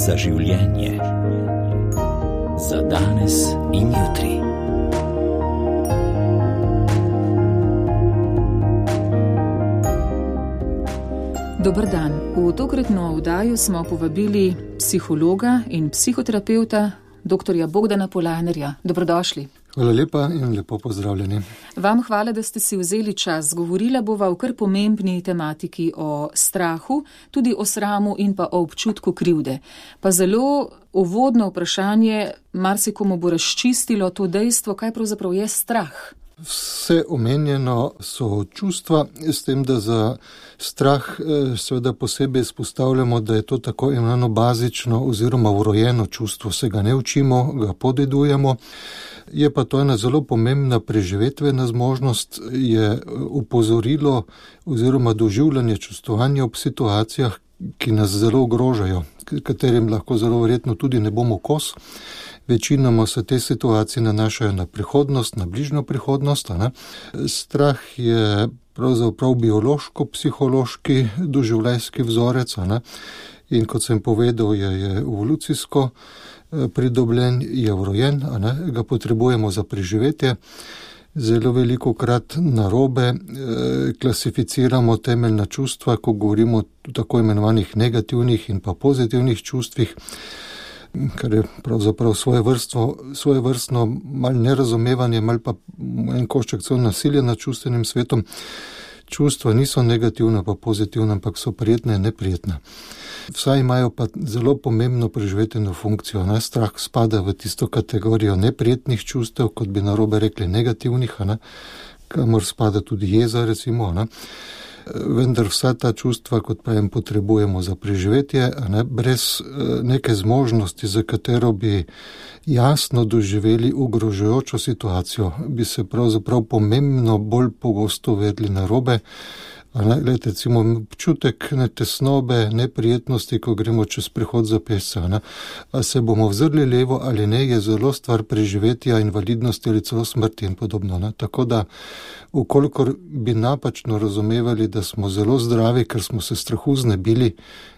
Za življenje. Za danes in jutri. Dober dan. V tokratno oddajo smo povabili psihologa in psihoterapeuta dr. Bogdana Polanerja. Dobrodošli. Hvala lepa in lepo pozdravljeni. Vam hvala, da ste si vzeli čas. Govorila bova o kar pomembni tematiki, o strahu, tudi o sramu in pa o občutku krivde. Pa zelo uvodno vprašanje, marsikomu bo razčistilo to dejstvo, kaj pravzaprav je strah. Vse omenjeno so čustva, s tem, da za strah seveda posebej izpostavljamo, da je to tako imenovano bazično oziroma vrojeno čustvo. Se ga ne učimo, ga podedujemo. Je pa to ena zelo pomembna preživetvena zmožnost, je upozorilo oziroma doživljanje čustvovanja ob situacijah, ki nas zelo ogrožajo, katerim lahko zelo verjetno tudi ne bomo kos. Večinoma se te situacije nanašajo na prihodnost, na bližnjo prihodnost. Strah je pravzaprav biološko-psihološki doživljajski vzorec, in kot sem povedal, je evolucijsko pridobljen, je vrojen, ga potrebujemo za preživetje. Zelo velikokrat narobe klasificiramo temeljna čustva, ko govorimo o tako imenovanih negativnih in pa pozitivnih čustvih, kar je pravzaprav svojevrstno malo nerazumevanje, malo pa en košček celo nasilje nad čustvenim svetom. Čustva niso negativna pa pozitivna, ampak so prijetna in neprijetna. Vsaj imajo pa zelo pomembno preživetveno funkcijo. Strah spada v tisto kategorijo neprijetnih čustev, kot bi narobe rekli negativnih, kamor spada tudi jeza recimo. Vendar vsa ta čustva, kot pravim, potrebujemo za preživetje, brez neke zmožnosti, za katero bi jasno doživeli ogrožajočo situacijo, bi se pravzaprav pomembno bolj pogosto vedli narobe. Glede, recimo, občutek tesnobe, neprijetnosti, ko gremo čez prehod za pešce. A se bomo vzrli levo ali ne, je zelo stvar preživetja, invalidnosti ali celo smrti in podobno. Tako da, ukolikor bi napačno razumevali, da smo zelo zdravi, ker smo se strahu znebili,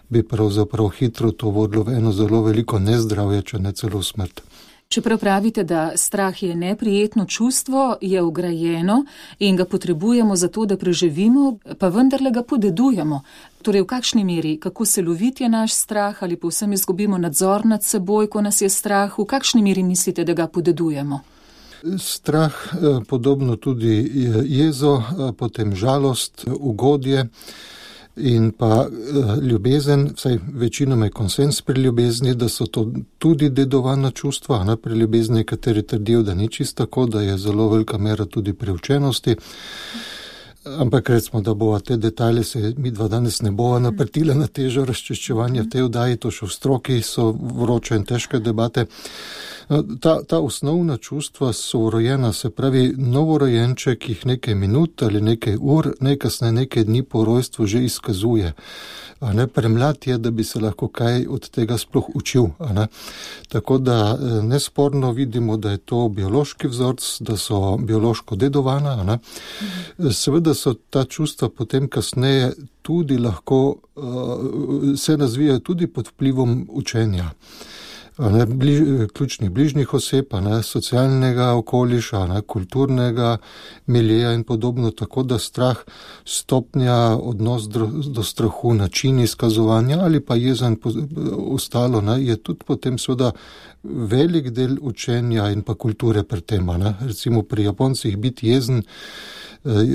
bi pravzaprav hitro to vodilo v eno zelo veliko nezdravje, če ne celo smrt. Čeprav pravite, da strah je neprijetno čustvo, je vgrajeno in ga potrebujemo za to, da preživimo, pa vendarle ga podedujemo. Torej, v kakšni meri, kako se loviti je naš strah ali povsem izgubimo nadzor nad seboj, ko nas je strah, v kakšni meri mislite, da ga podedujemo? Strah, podobno tudi jezo, potem žalost, ugodje in pa ljubezen, vsaj večinoma je konsens pri ljubezni, da so to tudi dedovana čustva. Pri ljubezni nekateri trdijo, da ni čisto tako, da je zelo velika mera tudi preučenosti. Ampak recimo, da bova te detalje se mi dva danes ne bova naprtila na težo razčiščevanja v tej oddaji, to še v stroki so vroče in težke debate. Ta osnovna čustva so vrojena, se pravi, novorojenček jih nekaj minut ali nekaj ur, najkasneje nekaj dni po rojstvu že izkazuje. Premlad je, da bi se lahko kaj od tega sploh učil. Tako da nesporno vidimo, da je to biološki vzorec, da so biološko dedovana. Seveda so ta čustva potem kasneje tudi lahko se razvijajo tudi pod vplivom učenja. Ključnih bližnjih oseb, socialnega okoliša, kulturnega miljeja in podobno, tako da strah, stopnja, odnos do strahu, način izkazovanja ali pa jezen ostalo, je tudi potem seveda velik del učenja in pa kulture pri tem. Recimo pri Japoncih biti jezen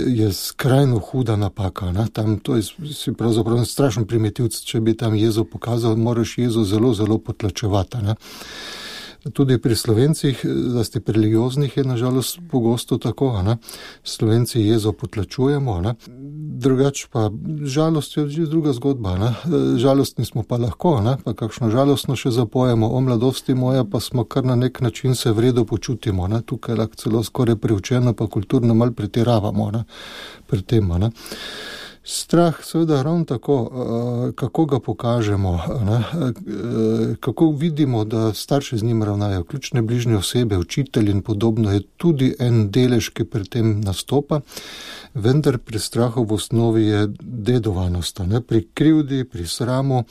je skrajno huda napaka. Tam to je si pravzaprav strašen primitivc, če bi tam jezo pokazal, moraš jezo zelo, zelo potlačevati. Tudi pri Slovencih, zlasti pri religioznih, je nažalost pogosto tako. Slovenci jezo potlačujemo. Drugače pa žalost je že druga zgodba. Žalostni smo pa lahko, pa kakšno žalostno še zapojemo, o mladosti moja, pa smo kar na nek način se vredo počutimo. Tukaj lahko celo skoraj preučeno, pa kulturno malo pretiravamo pri tem. Strah seveda ravno tako, kako ga pokažemo, kako vidimo, da starši z njim ravnajo, ključne bližnje osebe, učitelji in podobno, je tudi en delež, ki pri tem nastopa, vendar pri strahu v osnovi je dedovanost, pri krivdi, pri sramu.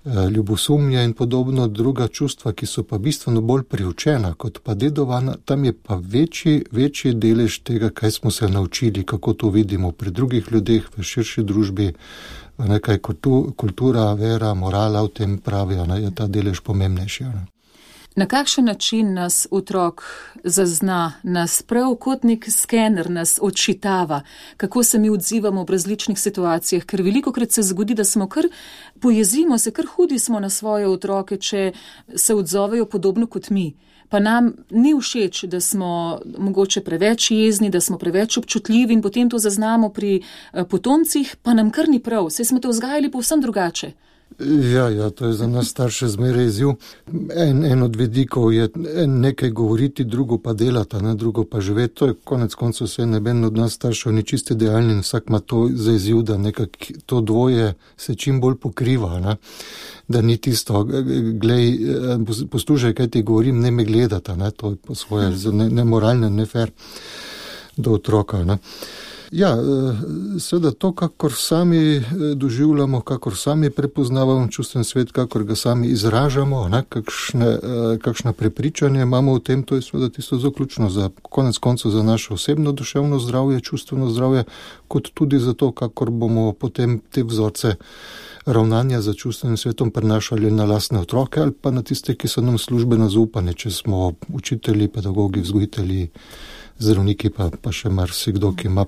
ljubosumje in podobno, druga čustva, ki so pa bistveno bolj priučena kot pa dedovana, tam je pa večji delež tega, kaj smo se naučili, kako to vidimo pri drugih ljudeh, v širši družbi, nekaj kultura, vera, morala v tem pravi, je ta delež pomembnejši. Na kakšen način nas otrok zazna, nas prav kot nek skener nas odčitava, kako se mi odzivamo v različnih situacijah, ker velikokrat se zgodi, da smo pojezimo se, kar hudi smo na svoje otroke, če se odzovejo podobno kot mi. Pa nam ni všeč, da smo mogoče preveč jezni, da smo preveč občutljivi in potem to zaznamo pri potomcih, pa nam kar ni prav, saj smo te vzgajali povsem drugače. Ja, to je za nas starše zmeraj izziv. En od vidikov je nekaj govoriti, drugo pa delati, drugo pa živeti. To je konec koncev vse, neben od nas staršev ni čisti idealni in vsak ima to za izziv, da nekako to dvoje se čim bolj pokriva, da ni tisto, glej, poslušaj, kaj ti govorim, ne me gledata, to je po svoje nemoralno, ne fair do otroka, Ja, seveda to, kakor sami doživljamo, kakor sami prepoznavamo čustven svet, kakor ga sami izražamo, kakšna prepričanja imamo o tem, to je seveda tisto zelo ključno za konec koncev za naše osebno duševno zdravje, čustveno zdravje, kot tudi za to, kakor bomo potem te vzorce ravnanja za čustvenim svetom prenašali na lastne otroke ali pa na tiste, ki so nam službeno zaupane, če smo učitelji, pedagogi, vzgojitelji, zdravniki pa še marsikdo, ki ima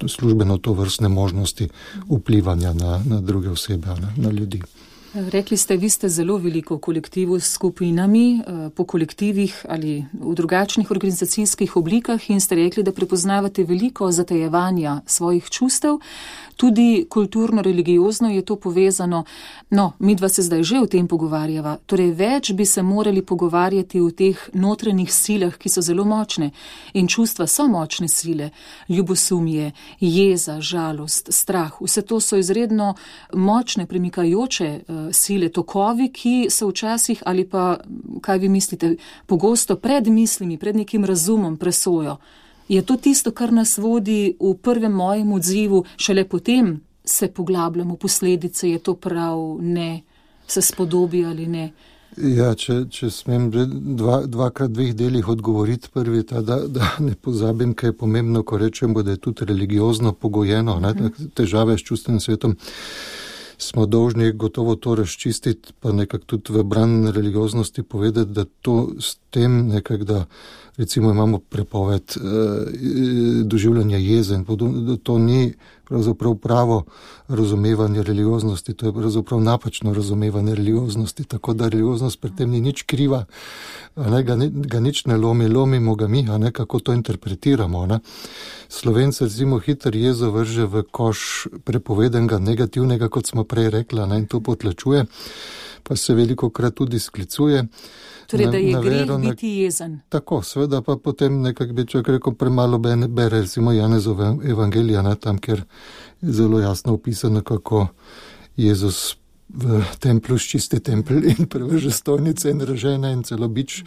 službeno to vrstne možnosti vplivanja na druge osebe, na ljudi. Rekli ste, vi ste zelo veliko v kolektivu s skupinami, po kolektivih ali v drugačnih organizacijskih oblikah in ste rekli, da prepoznavate veliko zatajevanja svojih čustev. Tudi kulturno-religiozno je to povezano. No, midva se zdaj že o tem pogovarjava. Torej, več bi se morali pogovarjati o teh notranjih silah, ki so zelo močne. In čustva so močne sile. Ljubosumje, jeza, žalost, strah. Vse to so izredno močne, premikajoče sile, tokovi, ki so včasih, ali pa, kaj vi mislite, pogosto pred mislimi, pred nekim razumom presojo. Je to tisto, kar nas vodi v prvem mojem odzivu, šele potem se poglabljamo posledice, je to prav, ne, se spodobi ali ne? Ja, če smem dvakrat dveh delih odgovoriti, prvi ta, da ne pozabim, kaj je pomembno, ko rečemo, da je tudi religiozno pogojeno, težave s čustvenim svetom. Smo dolžni gotovo to razčistiti, pa nekako tudi v bran religioznosti povedati, da to s tem nekako, da recimo imamo prepoved doživljanja jeze in podobno, da to ni pravzaprav pravo razumevanje religioznosti, to je pravzaprav napačno razumevanje religioznosti, tako da religioznost pri tem ni nič kriva, ga nič ne lomimo ga mi, kako to interpretiramo. Slovenci recimo hitro jezo vrže v koš prepovedenega negativnega, kot smo prej rekla, in to potlačuje, pa se velikokrat tudi sklicuje. Torej, da je greh biti jezen. Tako, seveda pa potem nekako bi človek rekel, premalo bere recimo Janezove evangelija, tam, kjer je zelo jasno opisano, kako Jezus v templu ščisti tempel in prevrže stojnice in ražene in celo bič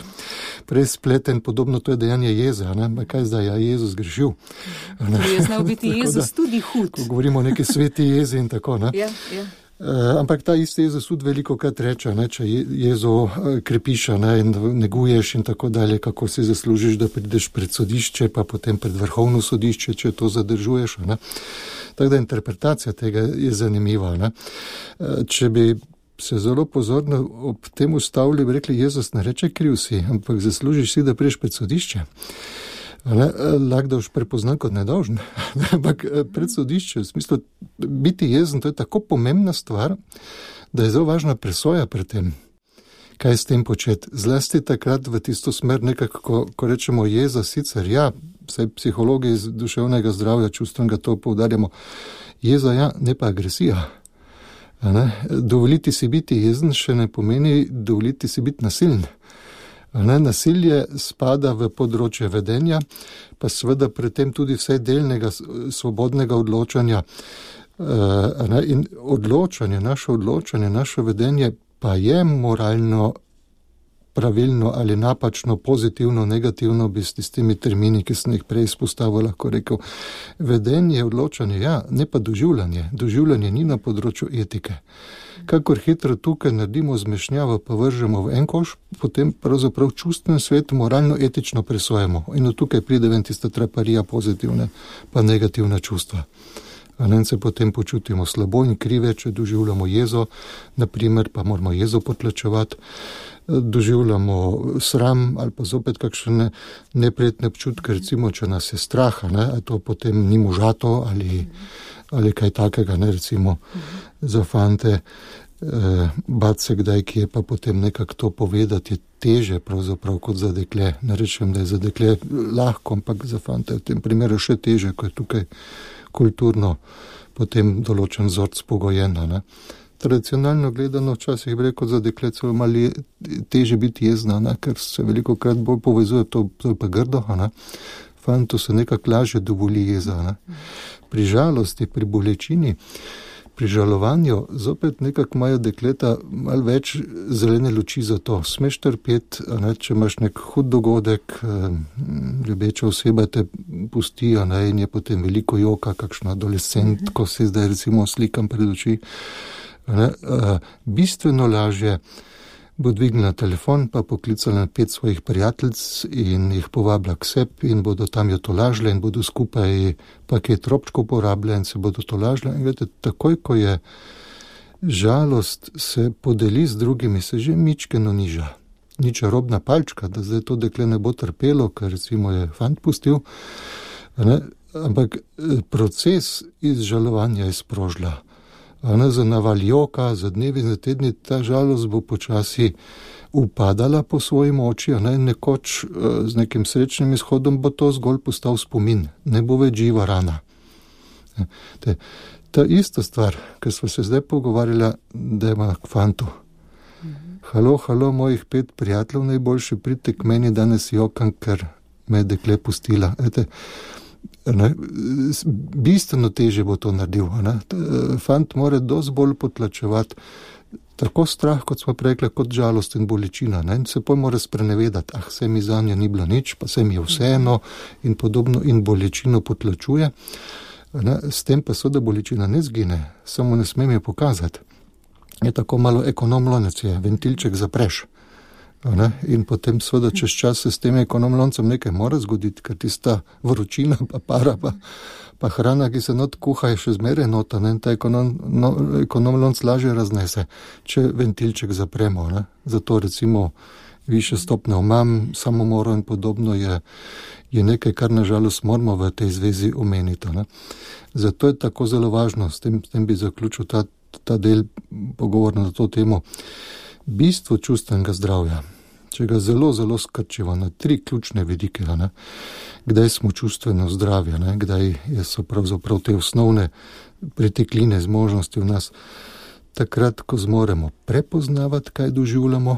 prespleten, podobno to je dejanje jeze, kaj zdaj, Jezus grešil. Je znal biti Jezus tudi hud. Ko govorimo o neki sveti jezi in tako, Ja. Ampak ta isti Jezus tudi veliko krat reče, če jezo krepiš in neguješ in tako dalje, kako si zaslužiš, da prideš pred sodišče, pa potem pred vrhovno sodišče, če to zadržuješ. Tako da interpretacija tega je zanimiva. Če bi se zelo pozorno ob tem ustavili, bi rekli, Jezus ne reče kriv si, ampak zaslužiš si, da prideš pred sodišče. Lahko da už prepoznan kot nedolžen, ampak pred sodišče, v smislu biti jezen, to je tako pomembna stvar, da je zelo važna presoja pred tem, kaj s tem početi. Zlasti takrat v tisto smer nekako, ko rečemo jeza, sicer vsaj psihologi iz duševnega zdravja, čustvenega to poudarjamo, jeza ne pa agresija. Dovoliti si biti jezen še ne pomeni dovoliti si biti nasilen. Nasilje spada v področje vedenja, pa seveda pri tem tudi vse delnega svobodnega odločanja. In naše odločanje, naše vedenje pa je moralno pravilno ali napačno, pozitivno, negativno, bi s tistimi termini, ki sem jih prej izpostavil, lahko rekel. Vedenje, odločanje, ja, ne pa doživljanje. Doživljanje ni na področju etike. Kakor hitro tukaj naredimo zmešnjavo, pa vržemo v en koš, potem pravzaprav čustven svet moralno-etično presojamo. In tukaj pride ven tista traparija pozitivne pa negativna čustva. In se potem počutimo slabo in krive, če doživljamo jezo, naprimer, pa moramo jezo potlačevati, doživljamo sram ali pa zopet kakšne neprijetne občutke, recimo, če nas je strah, a to potem ni možato ali kaj takega, recimo za fante, bat se kdaj kje, pa potem nekako to povedati je teže pravzaprav kot za dekle. Ne rečem, da je za dekle lahko, ampak za fante v tem primeru še teže, ko je tukaj kulturno potem določen vzorc pogojeno. Tradicionalno gledano včasih bi rekel za dekle celo malo teže biti jezna, ker se veliko krat bolj povezuje, to je pa grdo, fantu se nekako lažje dovoli jeza. Pri žalosti, pri bolečini, pri žalovanju zopet nekako imajo dekleta malo več zelene luči za to. Smeš trpeti, če imaš nek hud dogodek, ljubeča oseba te pusti, in je potem veliko joka, kakšno adolescent, ko se zdaj recimo slikam pred oči. Bistveno lažje bo dvignila telefon, pa poklicala 5 svojih prijateljic in jih povabila k sebi in bodo tam jo tolažile in bodo skupaj paket robčkov porabile in se bodo tolažile. In gledajte, takoj, ko je žalost se podeli z drugimi, se že mičkeno niža. Ni čarobna palčka, da zdaj to dekle ne bo trpelo, ker recimo je fant pustil, ampak proces izžalovanja je sprožila. Za naval joka, za dnevi, za tedni, ta žalost bo počasi upadala po svoji moči, nekoč z nekim srečnim izhodom bo to zgolj postal spomin, ne bo več živa rana. Ta ista stvar, ker smo se zdaj pogovarjali, da ima k fantu. Halo, mojih 5 prijateljev najboljši, pridite k meni, danes jokam, ker me je dekle pustila. Bistveno teže bo to naredil. Fant mora dosti bolj potlačevati tako strah, kot smo rekli, kot žalost in bolečina. In se poj mora sprenevedati, se mi zanje ni bilo nič, pa se mi je vseeno in podobno in bolečino potlačuje. S tem pa so, da bolečina ne zgine, samo ne smem je pokazati. Je tako malo ekonomlonec je, ventilček zapreš. In potem seveda čez čas se s tem ekonomloncem nekaj mora zgoditi, ker tista vročina pa para pa hrana, ki se not kuha, je še zmeraj nota, in ta ekonomlonc lažje raznese, če ventilček zapremo. Zato recimo više stopne omam, samomoro in podobno je nekaj, kar nažalost moramo v tej zvezi omeniti. Zato je tako zelo važno, s tem bi zaključil ta del pogovora na to temo. Bistvo čustvenega zdravja, če ga zelo, zelo skrčiva na 3 ključne vidike, kdaj smo čustveno zdravi, kdaj so pravzaprav te osnovne pretekline zmožnosti v nas, takrat, ko zmoremo prepoznavati, kaj doživljamo,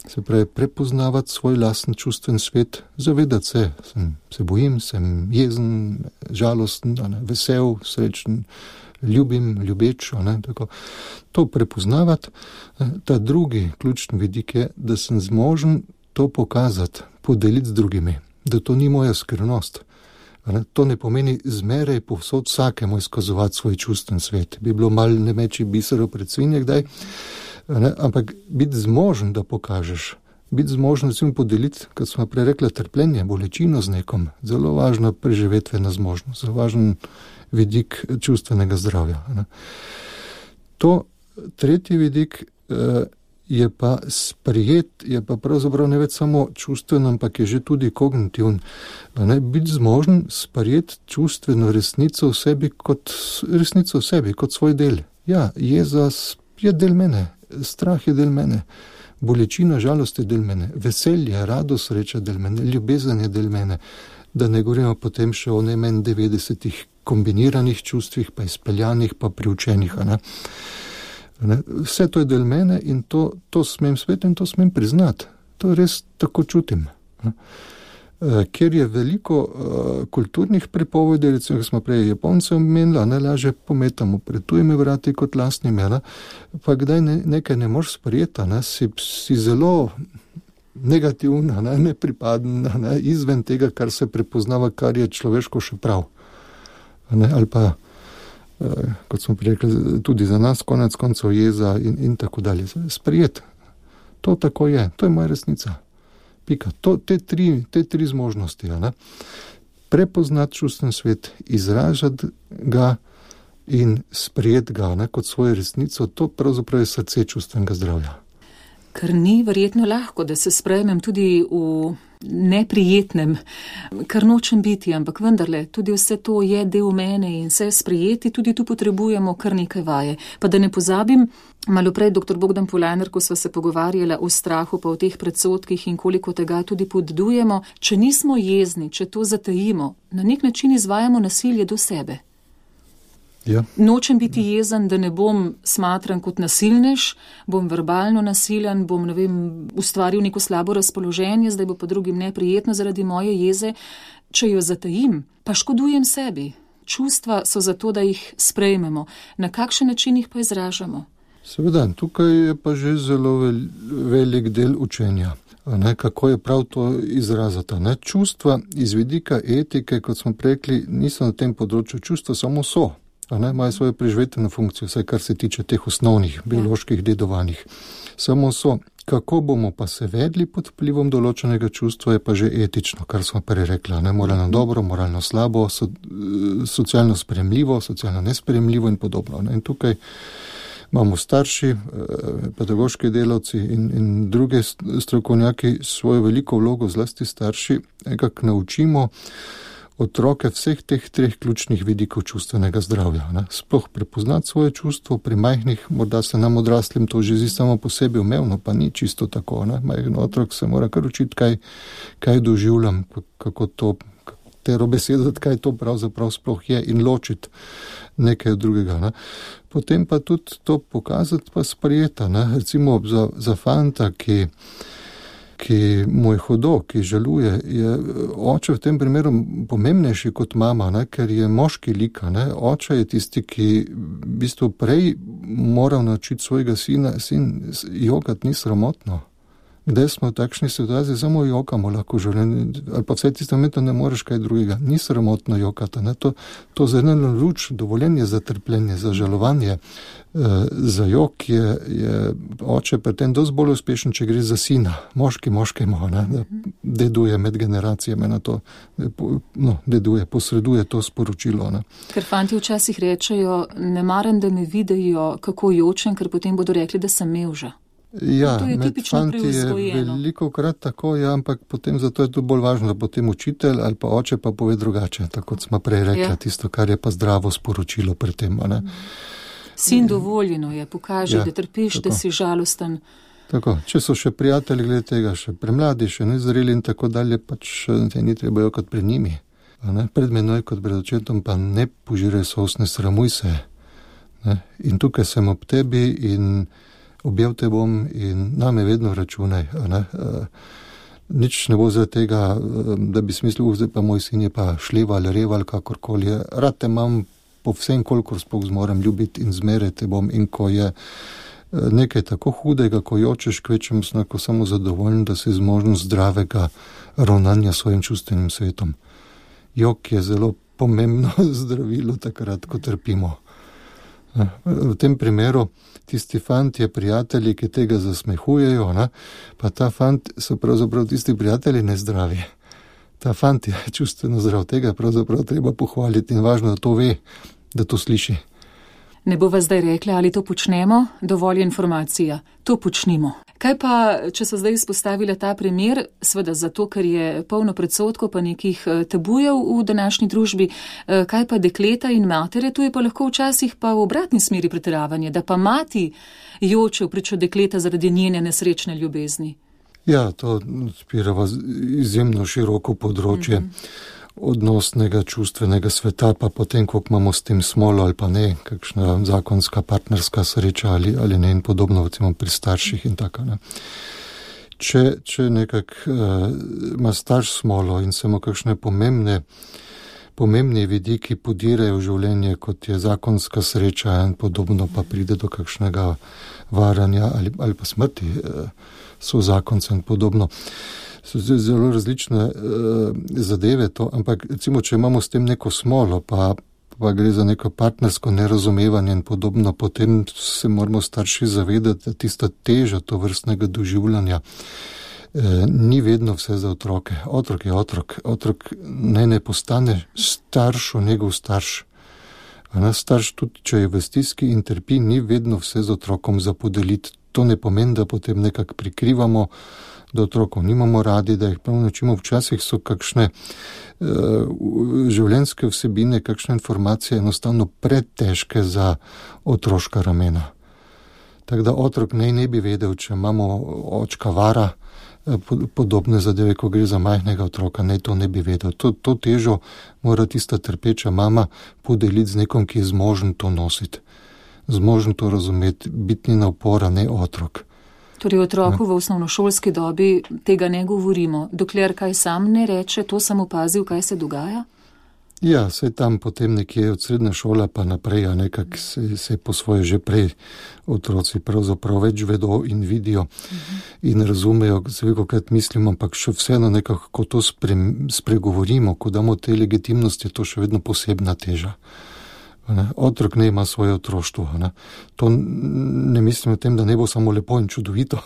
se pravi prepoznavati svoj lasten čustven svet, zavedati se bojim, sem jezen, žalosten, vesel, srečen, ljubim, ljubeč, tako. To prepoznavati. Ta drugi ključni vidik je, da sem zmožen to pokazati, podeliti z drugimi, da to ni moja skrivnost. To ne pomeni zmeraj povsod vsakemu izkazovati svoj čustven svet. Bi bilo malo ne meči biserov pred svinje kdaj, ampak biti zmožen, da pokažeš, biti zmožen recimo podeliti, kot smo prej rekli, trpljenje, bolečino z nekom, zelo važna preživetvena zmožnost, zelo važen vidik čustvenega zdravja. To tretji vidik je pa sprejet, je pa pravzaprav ne več samo čustven, ampak je že tudi kognitivn. Biti zmožen sprejeti čustveno resnico v sebi kot svoj del. Ja, jeza je del mene, strah je del mene, bolečina, žalost je del mene, veselje, radost, sreča del mene, ljubezen je del mene, da ne govorimo potem še o najmanj 90 kombiniranih čustvih, pa izpeljanih, pa priučenih. Vse to je del mene in to smem svet in to smem priznati. To res tako čutim. Ker je veliko kulturnih pripovedi, recimo, ko smo prej Japonce omenili, najlažje pometamo pred tujimi vrati kot lastnimi, pa kdaj nekaj ne moreš sprejeti, si zelo negativna, nepripadna, izven tega, kar se prepoznava, kar je človeško še prav. Ali pa, kot smo rekli, tudi za nas konec koncev jeza in tako dalje. Sprijet. To tako je. To je moja resnica. Pika. Te tri zmožnosti. Prepoznati čustven svet, izražati ga in sprejeti ga kot svojo resnico, to pravzaprav je srce čustvenega zdravja. Ker ni verjetno lahko, da se sprejmem tudi v neprijetnem, kar nočem biti, ampak vendarle, tudi vse to je del mene in vse sprejeti, tudi tu potrebujemo kar nekaj vaje. Pa da ne pozabim, malo prej dr. Bogdan Polajner, ko sva se pogovarjala o strahu, pa o teh predsodkih in koliko tega tudi podedujemo, če nismo jezni, če to zatajimo, na nek način izvajamo nasilje do sebe. Ja. Nočem biti jezen, da ne bom smatran kot nasilnež, bom verbalno nasilen, bom, ustvaril neko slabo razpoloženje, zdaj bo pa drugim neprijetno zaradi moje jeze. Če jo zatajim, pa škodujem sebi. Čustva so zato, da jih sprejmemo. Na kakšen način jih pa izražamo? Seveda, tukaj je pa že zelo velik del učenja. Kako je prav to izrazati. Čustva iz vidika etike, kot smo rekli, niso na tem področju. Čustva samo so. Imajo svojo preživetveno funkcijo, vsaj kar se tiče teh osnovnih bioloških dedovanjih. Samo so. Kako bomo pa se vedli pod vplivom določenega čustva, je pa že etično, kar smo prej rekla. Moralno dobro, moralno slabo, socialno sprejemljivo, socialno nesprejemljivo in podobno. In tukaj imamo starši, pedagoški delavci in druge strokovnjaki svojo veliko vlogo, zlasti starši, nekako naučimo otroke vseh teh treh ključnih vidikov čustvenega zdravja. Sploh prepoznati svoje čustvo, pri majhnih, morda se nam odraslim to že zdi samo po sebi umevno, pa ni čisto tako. Majhen otrok se mora kar učiti, kaj doživljam, kako to, katero besedo, kaj to pravzaprav sploh je in ločiti nekaj od drugega. Potem pa tudi to pokazati pa sprejeta. Recimo za fanta, ki mu je hudo, ki žaluje, je oče v tem primeru pomembnejši kot mama, ker je moški lik. Oče je tisti, ki v bistvu prej moral naučiti svojega sin jokati ni sramotno. Kdaj smo v takšni situaciji, samo jokamo lahko življenje, ali pa vse tiste momentu ne moreš kaj drugega. Ni sramotno jokati. To za eno luč, dovoljenje za trpljenje, za žalovanje, za jok je oče pri tem dosti bolj uspešen, če gre za sina. Moški moškemu, deduje med generacijami na to, posreduje to sporočilo. Ker fanti včasih rečejo, ne maram, da me vidijo, kako jočem, ker potem bodo rekli, da sem mevža. Ja, med fanti je veliko krat tako, ampak potem zato je to bolj važno, da potem učitelj ali pa oče pa pove drugače, tako kot smo prej rekla, tisto, kar je pa zdravo sporočilo pri tem. Sin dovoljeno je, pokaže, da trpiš, tako. Da si žalosten. Tako, če so še prijatelji glede tega, še premladi, še nezreli in tako dalje, pač te ni treba jokati pred njimi. Pred menoj kot pred očetom pa ne požiraj solz, ne sramuj se. In tukaj sem ob tebi in objel te bom in name vedno računaj. Nič ne bo za tega, da bi smislil, zdaj pa moj sin je pa šleval, reval, kakorkoli je. Rad te imam po vsem, kolikor sploh zmorem ljubiti in zmeriti te bom. In ko je nekaj tako hudega, ko jočeš, kvečem snako samo zadovoljen, da si zmožen zdravega ravnanja s svojim čustvenim svetom. Jok je zelo pomembno zdravilo takrat, ko trpimo. V tem primeru tisti fanti, prijatelji, ki tega zasmehujejo, pa ta fant so pravzaprav tisti prijatelji nezdravi. Ta fant je čustveno zdrav, tega pravzaprav treba pohvaliti in važno, da to ve, da to sliši. Ne bova zdaj rekla, ali to počnemo, dovolj je informacija, to počnimo. Kaj pa, če so zdaj izpostavila ta primer, seveda zato, ker je polno predsodkov pa nekih tabujev v današnji družbi, kaj pa dekleta in matere, tu je pa lahko včasih pa v obratni smeri pretiravanje, da pa mati joče v pričo dekleta zaradi njene nesrečne ljubezni. Ja, to odpirava izjemno široko področje odnosnega čustvenega sveta, pa potem, koliko imamo s tem smolo ali pa ne, kakšna zakonska partnerska sreča ali ne in podobno, recimo pri starših in tako. Če nekako ima starš smolo in se mu kakšne pomembni vidiki podirajo v življenje, kot je zakonska sreča in podobno, pa pride do kakšnega varanja ali pa smrti sozakonca in podobno. So zelo različne zadeve to, ampak recimo, če imamo s tem neko smolo, pa gre za neko partnersko nerazumevanje in podobno, potem se moramo starši zavedati, da tista teža to vrstnega doživljanja ni vedno vse za otroke. Otrok je otrok. Otrok ne postane staršo njegov starš. Starš tudi, če je v stiski in trpi, ni vedno vse z otrokom za podeliti. To ne pomeni, da potem nekako prikrivamo, da otrokov nimamo radi, da jih prav načimo. Včasih so kakšne življenjske vsebine, kakšne informacije enostavno pretežke za otroška ramena. Tako da otrok ne bi vedel, če imamo očka vara, podobne zadeve, ko gre za majhnega otroka, to ne bi vedel. To težo mora tista trpeča mama podeliti z nekom, ki je zmožen to nositi. Zmožen to razumeti, biti njena opora, ne otrok. Torej otroku v osnovnošolski dobi tega ne govorimo, dokler kaj sam ne reče, to sem opazil, kaj se dogaja? Ja, saj tam potem nekje od srednje šole pa naprej, nekak se po svoje že prej otroci pravzaprav več vedo in vidijo in razumejo, se veliko krat mislimo, ampak še vseeno nekako, ko to spregovorimo, ko damo te legitimnosti, je to še vedno posebna teža. Otrok ne ima svoje otroštvo. To ne mislim o tem, da ne bo samo lepo in čudovito,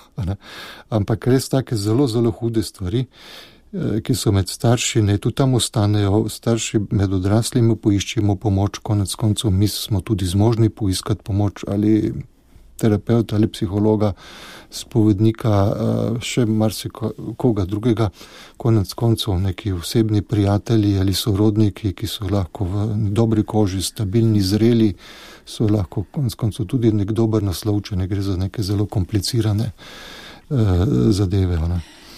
ampak res take zelo, zelo hude stvari, ki so med starši, tudi tam ostanejo, starši med odraslimi poiščimo pomoč, konec koncev mi smo tudi zmožni poiskati pomoč ali terapeuta ali psihologa, spovednika, še marsikoga drugega, konec koncev neki osebni prijatelji ali sorodniki, ki so lahko v dobri koži, stabilni, zreli, so lahko konec koncev tudi nek dober naslov, če ne gre za neke zelo komplicirane zadeve.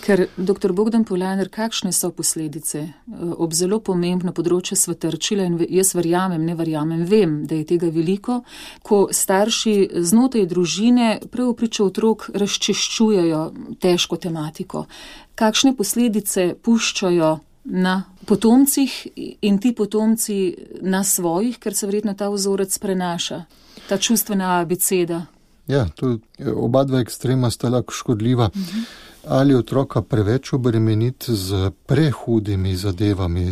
Ker, dr. Bogdan Polajner, kakšne so posledice ob zelo pomembno področje svetrčila in jaz vem, da je tega veliko, ko starši znotraj družine prav priča otrok razčiščujejo težko tematiko. Kakšne posledice puščajo na potomcih in ti potomci na svojih, ker se verjetno ta vzorec prenaša, ta čustvena abeceda? Ja, oba dva ekstrema sta lahko škodljiva. Ali otroka preveč obremeniti z prehudimi zadevami,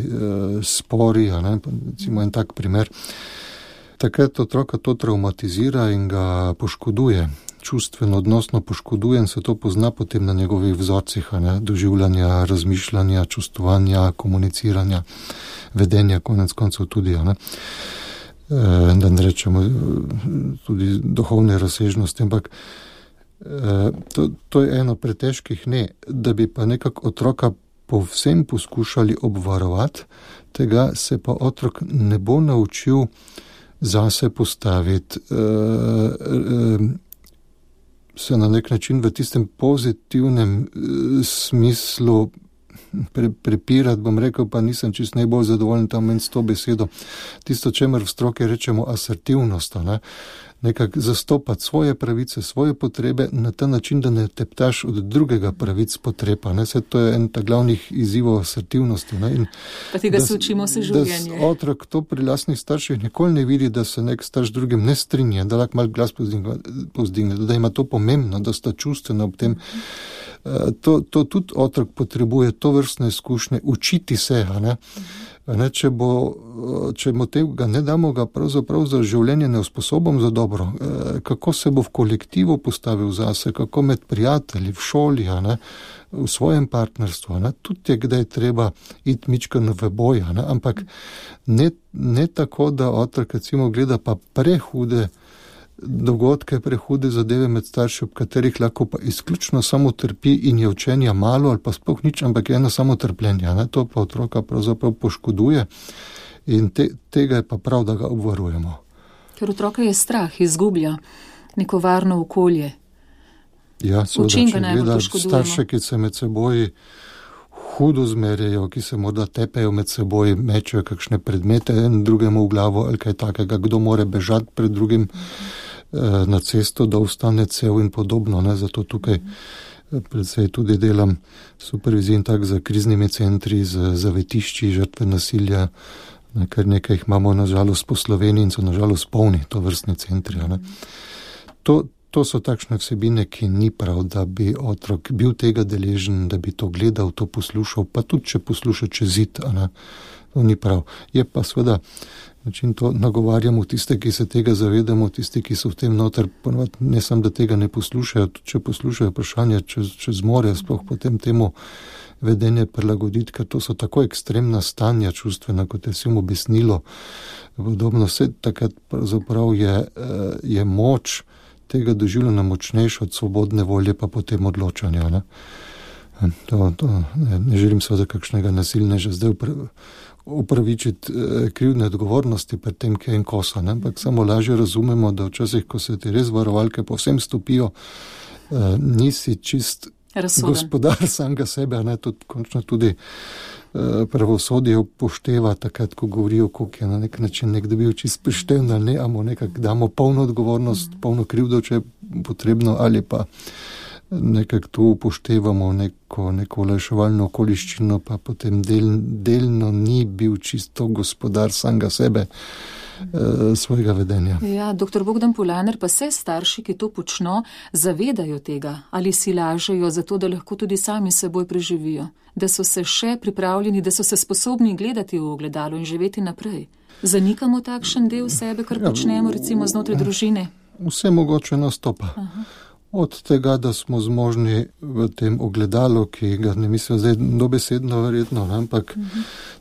spori, recimo en tak primer. Takrat otroka to traumatizira in ga poškoduje, čustveno, odnosno poškoduje in se to pozna potem na njegovih vzorcih, doživljanja, razmišljanja, čustvovanja, komuniciranja, vedenja, konec koncev tudi, da ne rečemo tudi duhovne razsežnosti, ampak to je eno pretežkih da bi pa nekako otroka povsem poskušali obvarovati, tega se pa otrok ne bo naučil zase postaviti, se na nek način v tistem pozitivnem smislu prepirati, bom rekel, pa nisem čisto najbolj zadovoljen tam s to besedo. Tisto, čemer v stroki rečemo asertivnost, nekako zastopati svoje pravice, svoje potrebe na ta način, da ne teptaš od drugega pravic potreba. To je en ta glavnih izzivov asertivnosti. Pa tega se učimo vse življenje. Da otrok to pri lastnih starših nikoli ne vidi, da se nek starš drugim ne strinja, da lahko malo glas povzdigne, da ima to pomembno, da sta čustvena ob tem. To tudi otrok potrebuje, to vrstne izkušnje, učiti se, če mu tega ne damo, ga pravzaprav za življenje ne usposobom za dobro, kako se bo v kolektivu postavil zase, kako med prijatelji, v šoli, v svojem partnerstvu, tudi je kdaj treba iti mičkano v boj, ampak ne tako, da otrok recimo gleda pa prehude dogodke, prehude zadeve med starši, ob katerih lahko pa izključno samo trpi in je učenja malo ali pa sploh nič, ampak je eno samo trpljenje. To pa otroka pravzaprav poškoduje in tega je pa prav, da ga obvarujemo. Ker otroka je strah, izgublja neko varno okolje. Ja, seveda, če gleda starše, ki se med seboj hudo zmerjajo, ki se morda tepejo med seboj, mečejo kakšne predmete en drugemu v glavo ali kaj takega, kdo more bežati pred drugim na cesto, da ostane cel in podobno. Zato tukaj predvsej tudi delam supervizij tak za kriznimi centri, za zavetišči, žrtve nasilja, kar nekaj jih imamo nažalost po Sloveniji in so nažalost polni to vrstni centri. to so takšne vsebine, ki ni prav, da bi otrok bil tega deležen, da bi to gledal, to poslušal, pa tudi, če posluša čez zid, to ni prav. Je pa seveda, način to nagovarjamo tiste, ki se tega zavedamo, tisti, ki so v tem noter, ne samo, da tega ne poslušajo, tudi če poslušajo vprašanja, če zmorejo sploh potem temu vedenje prilagoditi, ker to so tako ekstremna stanja čustvena, kot je vsem obesnilo. Podobno vse takrat pravzaprav je moč tega doživljena močnejša od svobodne volje, pa potem odločanja. Ne želim seveda kakšnega nasilneža zdaj upravičiti krivdne odgovornosti pred tem, ki je en kosa, ampak samo lažje razumemo, da včasih, ko se ti res varovalke povsem stopijo, nisi čist razsoden gospodar samega sebe, končno tudi pravosodje upošteva takrat, ko govorijo, koliko je na nek način nekdo bil čist prišteven, ali ne, amo nekako damo polno odgovornost, polno krivdo, če je potrebno, ali pa nekako tu upoštevamo neko olajševalno okoliščino, pa potem delno ni bil čisto gospodar samega sebe, svojega vedenja. Ja, dr. Bogdan Polaner, pa se starši, ki to počno, zavedajo tega, ali si lažejo za to, da lahko tudi sami seboj preživijo, da so se še pripravljeni, da so se sposobni gledati v ogledalo in živeti naprej. Zanikamo takšen del sebe, kar počnemo recimo znotraj družine? Vse mogoče nastopa. Od tega, da smo zmožni v tem ogledalu, ki ga ne mislim zdaj dobesedno verjetno, ampak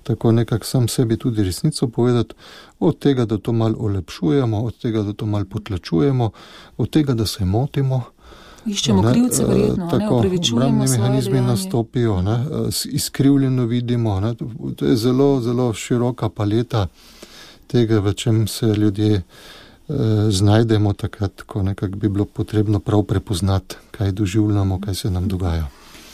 tako nekako sam sebi tudi resnico povedati, od tega, da to malo olepšujemo, od tega, da to malo potlačujemo, od tega, da se motimo. Iščemo krivce verjetno, opravičujemo svoje mehanizmi dejanje. nastopijo, izkrivljeno vidimo. To je zelo, zelo široka paleta tega, v čem se ljudje znajdemo takrat, ko nekako bi bilo potrebno prav prepoznati, kaj doživljamo, kaj se nam dogaja.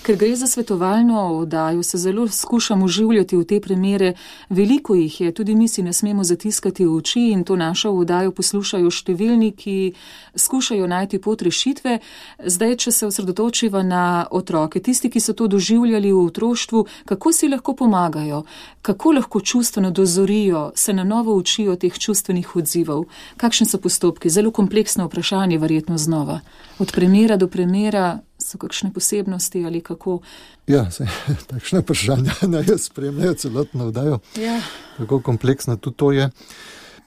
Ker gre za svetovalno oddajo, se zelo skušamo vživljati v te primere. Veliko jih je, tudi mi si ne smemo zatiskati v oči in to našo oddajo poslušajo številni, ki skušajo najti pot rešitve. Zdaj, če se osredotočiva na otroke, tisti, ki so to doživljali v otroštvu, kako si lahko pomagajo, kako lahko čustveno dozorijo, se na novo učijo teh čustvenih odzivov. Kakšni so postopki? Zelo kompleksno vprašanje, verjetno znova. Od primera do primera so kakšne posebnosti ali kako? Ja, takšne vprašanja naj spremljajo celotno oddajo. Ja. Tako kompleksna tudi to je.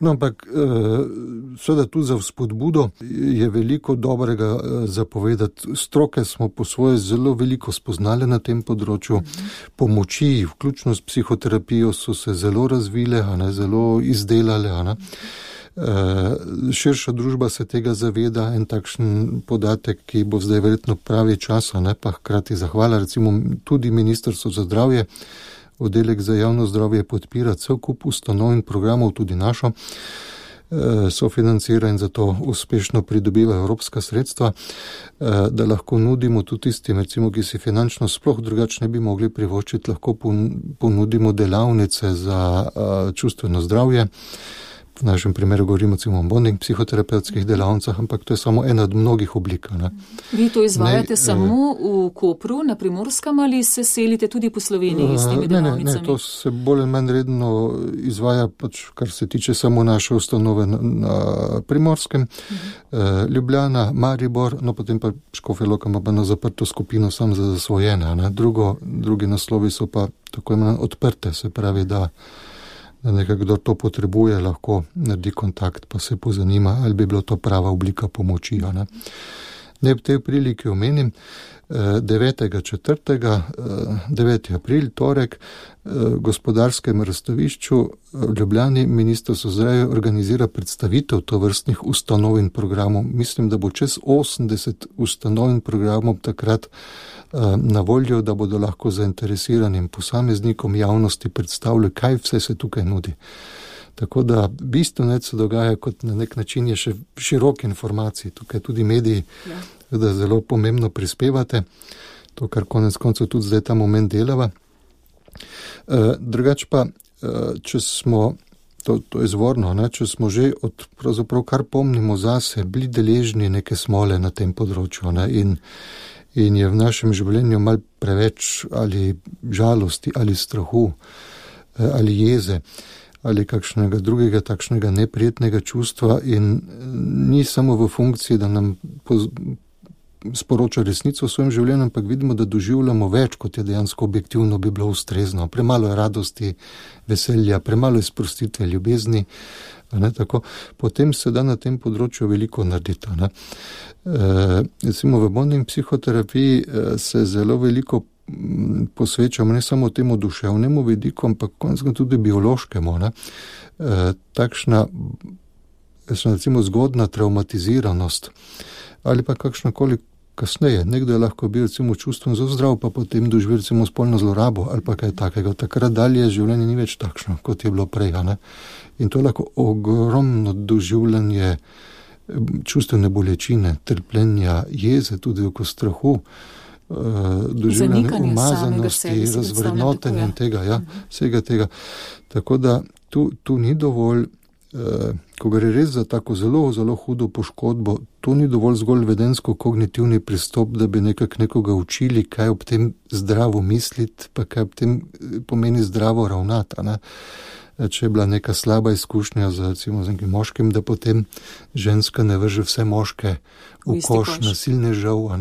No, ampak seveda tudi za vzpodbudo je veliko dobrega zapovedati. Stroke smo po svoje zelo veliko spoznali na tem področju. Pomoči, vključno s psihoterapijo, so se zelo razvile, zelo izdelale. Širša družba se tega zaveda, en takšen podatek, ki bo zdaj verjetno pravi čas, pa hkrati zahvala, recimo tudi Ministrstvo za zdravje, oddelek za javno zdravje podpira cel kup ustanov in programov, tudi našo, sofinancira in zato uspešno pridobiva evropska sredstva, da lahko nudimo tudi tistim, recimo, ki si finančno sploh drugače ne bi mogli privoščiti, lahko ponudimo delavnice za čustveno zdravje. V našem primeru govorimo o bonding psihoterapevtskih delavnicah, ampak to je samo ena od mnogih oblik. Vi to izvajate samo v Kopru, na Primorskem, ali se selite tudi po Sloveniji s temi delavnicami? Ne, to se bolj ali manj redno izvaja, kar se tiče samo naše ustanove na Primorskem, Ljubljana, Maribor, no potem pa Škofja Loka ima pa na zaprto skupino sam za zasvojene. Drugi naslovi so pa tako imenovane odprte, se pravi, da nekako kdo to potrebuje, lahko naredi kontakt, pa se pozanima, ali bi bilo to prava oblika pomoči. Ne v tej priliki omenim, 9. april, torek, gospodarskem razstavišču v Ljubljani Ministrstvo za zdravje organizira predstavitev tovrstnih ustanov in programov. Mislim, da bo čez 80 ustanov in programov takrat na voljo, da bodo lahko zainteresiranim posameznikom javnosti predstavljali, kaj vse se tukaj nudi. Tako da bistveno se dogaja, kot na nek način je še širok informacij, tukaj tudi mediji, da zelo pomembno prispevate, to, kar konec koncev tudi zdaj ta moment delava. Drugač pa, če smo, to je izvorno, če smo že pravzaprav kar pomnimo zase, bili deležni neke smole na tem področju, in je v našem življenju malo preveč ali žalosti, ali strahu, ali jeze, ali kakšnega drugega takšnega neprijetnega čustva, in ni samo v funkciji, da nam sporoča resnico v svojem življenju, ampak vidimo, da doživljamo več, kot je dejansko objektivno bi bilo ustrezno. Premalo je radosti, veselja, premalo je sprostitve, ljubezni. Tako, potem se da na tem področju veliko narediti. Recimo v modni psihoterapiji se zelo veliko posvečamo ne samo temu duševnemu vidiku, ampak končno tudi biološkemu. Takšna recimo zgodna traumatiziranost ali pa kakšnakoli kasneje. Nekdo je lahko bil recimo čustveno zelo zdrav, pa potem doživel recimo spolno zlorabo ali pa kaj takega. Takrat dalje življenje ni več takšno, kot je bilo prej. In to je lahko ogromno doživljanje čustvene bolečine, trpljenja, jeze, tudi oko strahu, doživljanje umazanosti, razvrednotenja in tega, vsega tega. Tako da tu ni dovolj, ko gre res za tako zelo, zelo hudo poškodbo, to ni dovolj zgolj vedensko-kognitivni pristop, da bi nekoga učili, kaj ob tem zdravo misliti, pa kaj ob tem pomeni zdravo ravnati. Če je bila neka slaba izkušnja z nekim moškim, da potem ženska ne vrže vse moške v koš nasilnežev,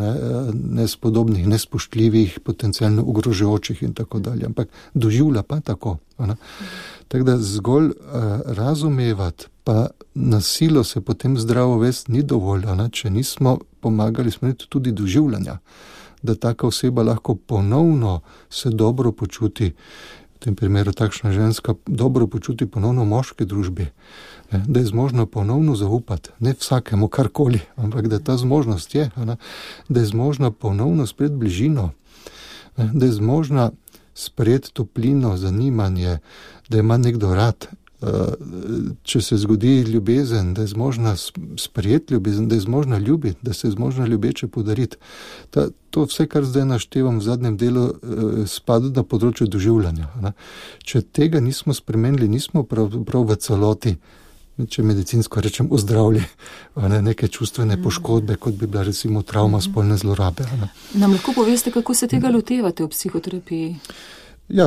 nespodobnih, nespoštljivih, potencialno ogrožajočih in tako dalje. Ampak doživlja pa tako. Tako da zgolj razumevati, pa na silo se potem zdravo vesti ni dovolj, če nismo pomagali smo tudi doživljanja, da taka oseba lahko ponovno se dobro počuti, v tem primeru takšna ženska dobro počuti ponovno v moški družbi, da je zmožna ponovno zaupati, ne vsakemu karkoli, ampak da ta zmožnost je, da je zmožna ponovno sprejeti bližino, da je zmožna sprejeti toplino, zanimanje, da ima nekdo rad, če se zgodi ljubezen, da je zmožna sprejeti ljubezen, da je zmožna ljubiti, da se je zmožna ljubeče podariti. To vse, kar zdaj naštevam v zadnjem delu, spada na področju doživljanja. Če tega nismo spremenili, nismo prav v celoti, če medicinsko rečem, ozdravili neke čustvene poškodbe, kot bi bila recimo travma spolne zlorabe. Nam lahko poveste, kako se tega lotevate v psihoterapiji? Ja,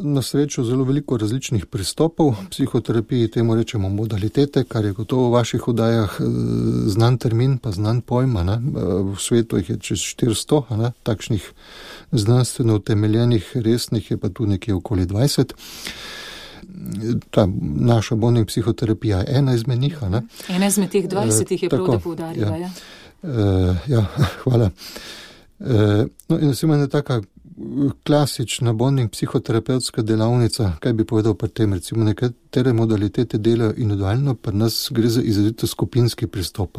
na srečo zelo veliko različnih pristopov. V psihoterapiji temu rečemo modalitete, kar je gotovo v vaših oddajah znan termin, pa znan pojma. V svetu jih je čez 400, takšnih znanstveno utemeljenih, resnih je pa tu nekje okoli 20. Ta naša Bonning psihoterapija je ena izmed njih. Ena izmed teh 20 je prav, da poudarila. Ja, hvala. No, in recimo ena taka klasična Bonning psihoterapevtska delavnica, kaj bi povedal pri tem, recimo nekatere modalitete delajo individualno, pri nas gre za izrazito skupinski pristop,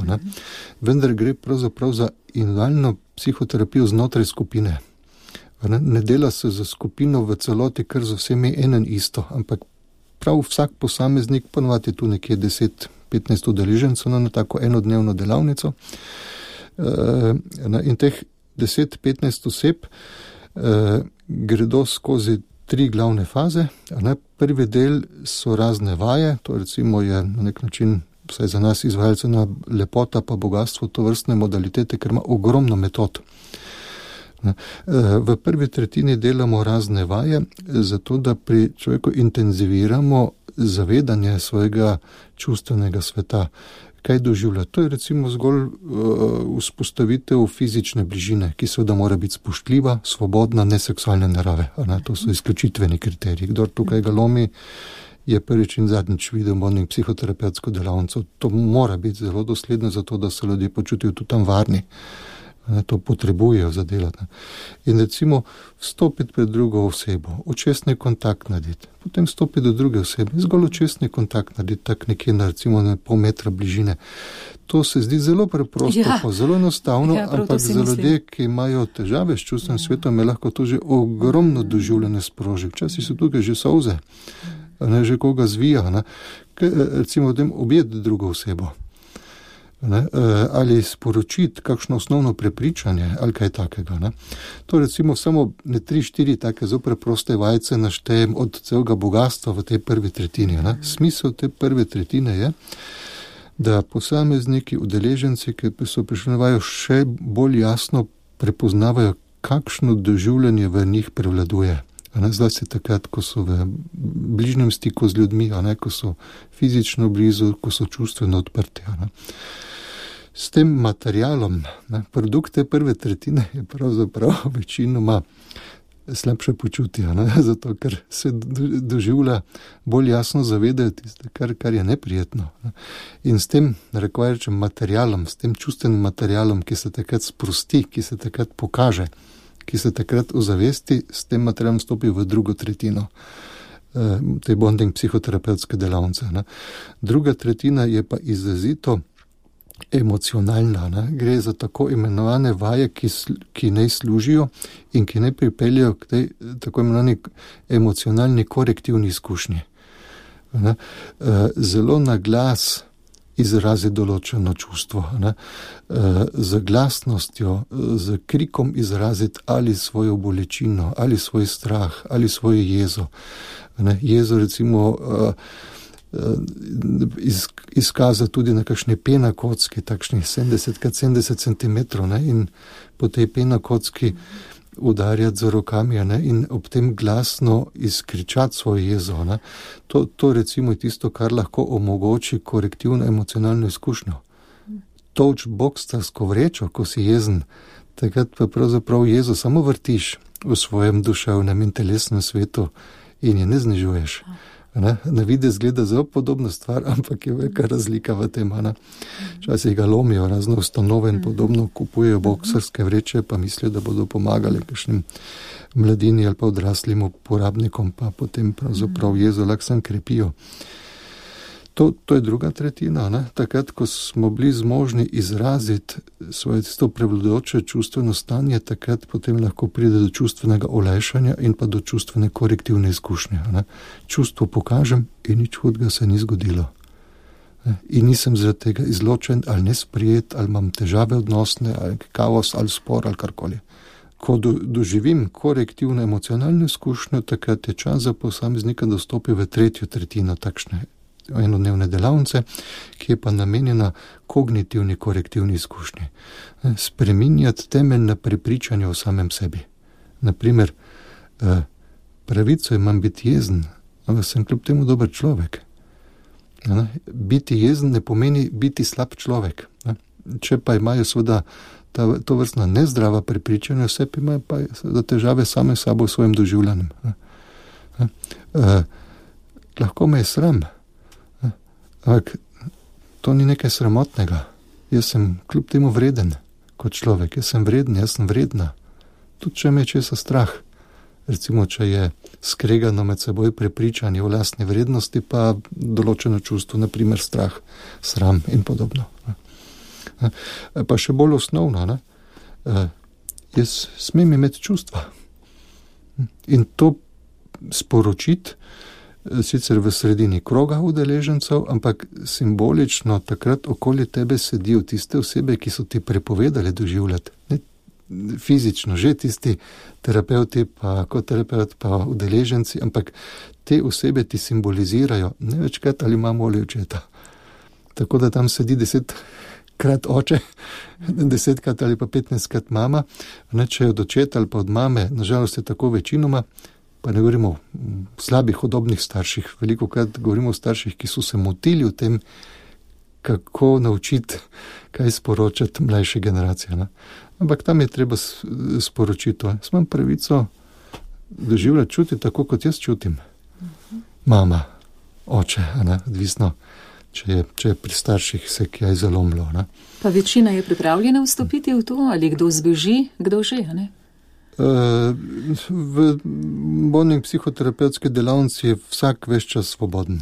vendar gre pravzaprav za individualno psihoterapijo znotraj skupine. Ne dela se za skupino v celoti, kar z vsemi enen isto, ampak prav vsak posameznik, ponovadi tu nekje 10-15 udeležencev na tako enodnevno delavnico, in teh 10-15 oseb gredo skozi 3 glavne faze. Prvi del so razne vaje, to recimo je na nek način, vsaj za nas izvajalce, lepota pa bogatstvo to vrstne modalitete, ker ima ogromno metod. V prvi tretjini delamo razne vaje, zato da pri človeku intenziviramo zavedanje svojega čustvenega sveta. Kaj doživlja? To je recimo zgolj vzpostavitev fizične bližine, ki seveda mora biti spoštljiva, svobodna, neseksualne narave. To so izključitveni kriteriji. Kdor tukaj ga lomi, je prvič in zadnjič videl Bonning psihoterapevtsko delavnico. To mora biti zelo dosledno, zato da se ljudje počutijo tudi tam varni. To potrebujejo za delati. In recimo vstopiti pred drugo osebo, očesni kontakt narediti, potem stopiti do druge osebe, zgolj očesni kontakt narediti, tak nekje na recimo na pol metra bližine. To se zdi zelo preprosto, pa zelo enostavno, ampak za ljudje, ki imajo težave s čustvenim svetom, je lahko to že ogromno doživljanje sproži. Včasih so tukaj že solze, že koga zvija, recimo v tem objeti drugo osebo. Ali sporočiti kakšno osnovno prepričanje ali kaj takega. To recimo samo 3-4 take zelo preproste vajce naštejem od celega bogatstva v tej prvi tretjini. Smisel te prve tretjine je, da posamezniki, udeleženci, ki so prišli na vajo, še bolj jasno prepoznavajo, kakšno doživljanje v njih prevladuje. Zlasti takrat, ko so v bližnjem stiku z ljudmi, ko so fizično blizu, ko so čustveno odprti. S tem materialom, produkte prve tretjine je pravzaprav večinoma slabše počutja, zato ker se doživlja bolj jasno zavedajo tiste, kar je neprijetno. In s tem, rečem, materialom, s tem čustvenim materialom, ki se takrat sprosti, ki se takrat pokaže, ki se takrat ozavesti, s tem materialom stopi v drugo tretjino te bonding psihoterapevtske delavnice. Druga tretjina je pa izrazito emocionalna. Gre za tako imenovane vaje, ki ne služijo in ki ne pripeljajo k tej tako imenovani emocionalni korektivni izkušnji. Zelo na glas izrazi določeno čustvo. Z glasnostjo, z krikom izraziti ali svojo bolečino, ali svoj strah, ali svojo jezo. Jezo recimo izkaza tudi na kakšne penakocki, takšnih 70x70 cm, in po tej penakocki udarjati z rokami, in ob tem glasno izkričati svojo jezo. To recimo je tisto, kar lahko omogoči korektivno emocionalno izkušnjo. Tolč bokstarsko vrečo, ko si jezen, takrat pa pravzaprav jezo samo vrtiš v svojem duševnem in telesnem svetu in je ne znižuješ. Na videz gleda zelo podobna stvar, ampak je velika razlika v tem. Včasih ga lomijo razne ustanove in podobno, kupujejo boksarske vreče, pa mislijo, da bodo pomagali kakšnim mladini ali pa odraslim uporabnikom, pa potem pravzaprav jezo lahko sam krepijo. To je druga tretjina. Takrat, ko smo bili zmožni izraziti svoje tisto prevladujoče čustveno stanje, takrat potem lahko pride do čustvenega olajšanja in pa do čustvene korektivne izkušnje. Čustvo pokažem in nič hudega se ni zgodilo. In nisem zaradi tega izločen ali nesprijet, ali imam težave odnosne, ali kaos, ali spor, ali karkoli. Ko doživim korektivno emocionalno izkušnjo, takrat je čas za posameznika, da stopi v tretjo tretjino takšne enodnevne delavnice, ki je pa namenjena kognitivni korektivni izkušnji. Spreminjati temeljna prepričanja o samem sebi. Naprimer, pravico imam biti jezen, ampak sem kljub temu dober človek. Biti jezen ne pomeni biti slab človek. Če pa imajo seveda to vrstna nezdrava prepričanja, vse pa imajo pa težave same sabo v svojem doživljanju. Lahko me je sram, ampak to ni nekaj sramotnega. Jaz sem kljub temu vreden kot človek. Jaz sem vreden, jaz sem vredna. Tudi če me je česa strah. Recimo, če je skregano med seboj prepričanje o lastni vrednosti, pa določeno čustvo, naprimer strah, sram in podobno. Pa še bolj osnovno, jaz smem imeti čustva. In to sporočiti, sicer v sredini kroga udeležencev, ampak simbolično takrat okoli tebe sedijo tiste osebe, ki so ti prepovedali doživljati. Ne fizično, že tisti terapeuti, pa koterapeut, pa udeleženci, ampak te osebe ti simbolizirajo ne večkrat ali mamo ali očeta. Tako da tam sedi 10krat oče, 10krat ali pa 15krat mama, če je od očeta ali pa od mame, nažalost je tako večinoma, pa ne govorimo o slabih, hudobnih starših, veliko krat govorimo o starših, ki so se motili v tem, kako naučiti, kaj sporočati mlajše generacije. Ampak tam je treba sporočiti. Imam pravico doživljati, čutiti tako, kot jaz čutim. Mama, oče, odvisno, če je pri starših se kaj zalomilo. Pa večina je pripravljena vstopiti v to, ali kdo zbeži, kdo že, ne? V bonding psihoterapevtske delavnici je vsak ves čas svoboden.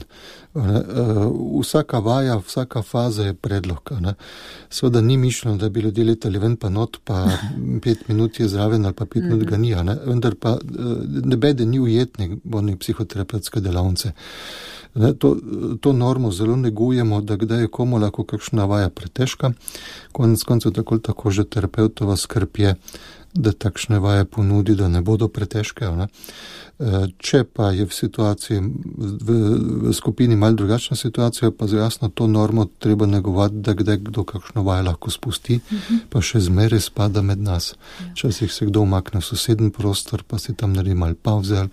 Vsaka vaja, vsaka faza je predlog. Seveda ni mišljeno, da bi ljudje letali ven pa not, pa 5 minut je zraven ali pa 5 minut ga ni. Vendar pa nebede ni ujetnik bonding psihoterapevtske delavnice. To normo zelo negujemo, da kdaj je komu lahko kakšna vaja pretežka. Konec koncev tako že terapeutova skrb je, da takšne vaje ponudi, da ne bodo pretežke. Če pa je v situaciji, v skupini malo drugačna situacija, pa jasno to normo treba negovati, da kdaj kdo kakšno vajo lahko spusti, pa še zmeraj spada med nas. Včasih se kdo umakne v soseden prostor, pa si tam naredi malo pavze,